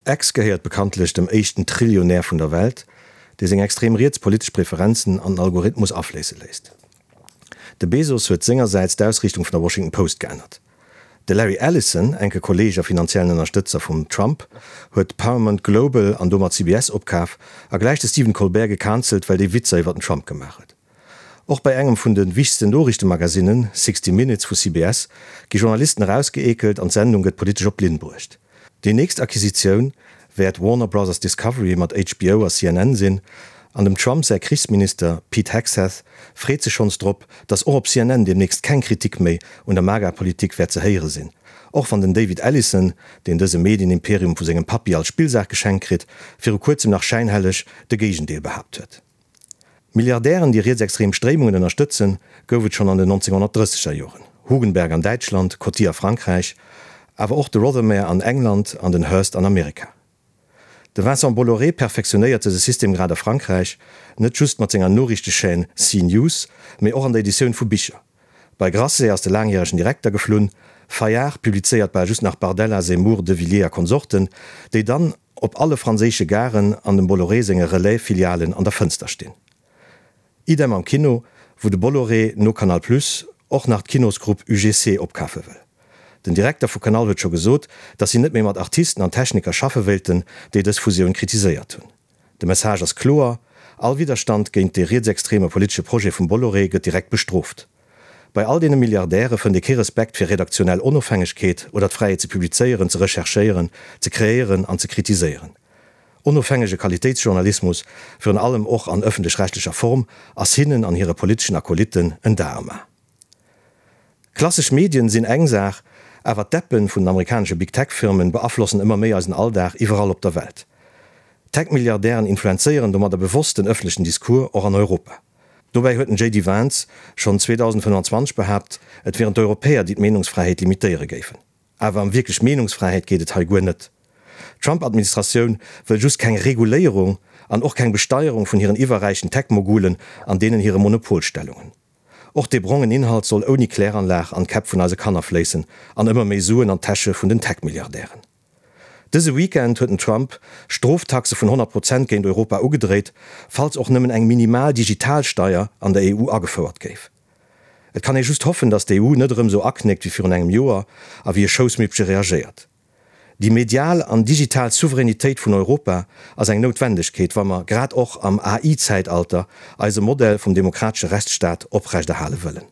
X gehéiert bekanntlech dem éischten Trillionär vun der Welt, dee seng extrem riets politesch Preferenzen an den Algorithmus afléisse léisst. De Bezos huet sengersäits d'Ausriichtung vun der Washington Post geännert. De Larry Ellison, enke Kolleeg a finanziellen Ënnerstëtzer vum Trump, huet Paramount Global an domat CBS opkaf a gläich de Stephen Colbert gecancelt, well dee Witzer iwwer den Trump gemaach huet. Och bei engem vun de wichtegsten Noriichtemagasinnen, 60 Minutes vu CBS, gi Journalisten erausgeekelt an d'Sendung gëtt politesch op d'Linn bruecht. Déi nächst Acquisitioun wäert Warner Brothers Discovery mat HBO a CNN sinn, an dem Trump säi Krichsminister Pete Hegseth freet sech schonns drop, datt och op CNN deemnächst keng Kritik méi un der MAGA-Politik wäert ze héiere sinn, och wann den David Ellison, deen dëse Medienimperium vu sengem Pappi als Spillsaach geschenkt kritt, viru kuerzem nach schäinhelleg de Géigendeel behaapt huet. Milliardären, déi rietsextrem Stréimungen ënnerstëtzen, gouf et schonn an den 1930er Joren, Hugenberg an Däitschland, Coty a Frankräich, awer och de Rothermere an England an den Hearst an Amerika. De Vincent Bolloré perfektionéiert dëse System grad a Frankräich, net just mat senger Noriichtechaîne CNews, mee och an der Editioun vu Bicher. Bei Grasset ass de laangjäregen Direkter geflunn, Fayard publizéiert bal just nach Bardella, Zemmour, De Villiers a Konsorten, déi dann op alle franséische Garen an dem Bolloré senge Relais-Filialen an der Fënster stinn. Idem am Kino, wou de Bolloré no Canal Plus och nach d'Kinosgrupp UGC opkafe wëll. Den Direkter vu Canal huet scho gesot, datt si net méi mat Artisten an Techniker schaffe wéilten, déi dës Fusioun kritiséiert hunn. De Message ass kloer, All Widderstand géint dee rietsextreme politesche Projet vum Bolloré gëtt direkt bestrooft. Bei all deene Milliardäre fënnt ee kee Respekt fir redaktionell Onofhängegkeet oder d'Fräiheet ze publizéieren, ze recherchéieren, ze kreéieren an ze kritiséieren. Onofhängege Qualitéitsjournalismus, virun allem och an ëffentlech-rechtlecher Form, ass hinnen an hire politeschen Akolytten en Dar am A. Klassesch Medien sinn eng Saach, awer d'Appen vun den amerikanesche Big Tech Firmen beaflossen ëmmer méi eisen Alldag iwwerall op der Welt. Tech-Milliardären influenzéieren domadder bewosst den ëffentlechen Discours, och an Europa. Dobäi huet den JD Vance schonn 2025 behaapt, et wieren d'Europäer, déi d'Meenungsfräiheet limitéiere géifen. Awer ëm wierklech Meenungsfräiheet geet et hei guer net. D'Trump-Administratioun wëll just keng Reguléierung an och keng Besteierung vun hiren iwwerräichen Tech-Mogulen an deenen hire Monopolstellungen. Och dee brongen Inhalt soll ouni Kläranlag an d'Käpp vun eise Kanner fléissen an ëmmer méi Suen an d'Täsche vun den Tech-Milliardären. Dëse Weekend huet den Trump Stroftaxe vun 100 Prozent géint Europa ugedréit, falls och nëmmen eng minimal Digitalsteier an der EU agefouert géif. Et kann ee just hoffen, datt d'EU net erëm esou aknéckt wéi virun engem Joer a wéi e Schoussmippche reagéiert. Déi medial an digital Souveränitéit vun Europa ass eng Noutwendegkeet, wa mer, grad och am AI-Zäitalter, eise Modell vum demokratesche Rechtsstaat oprechterhale wëllen.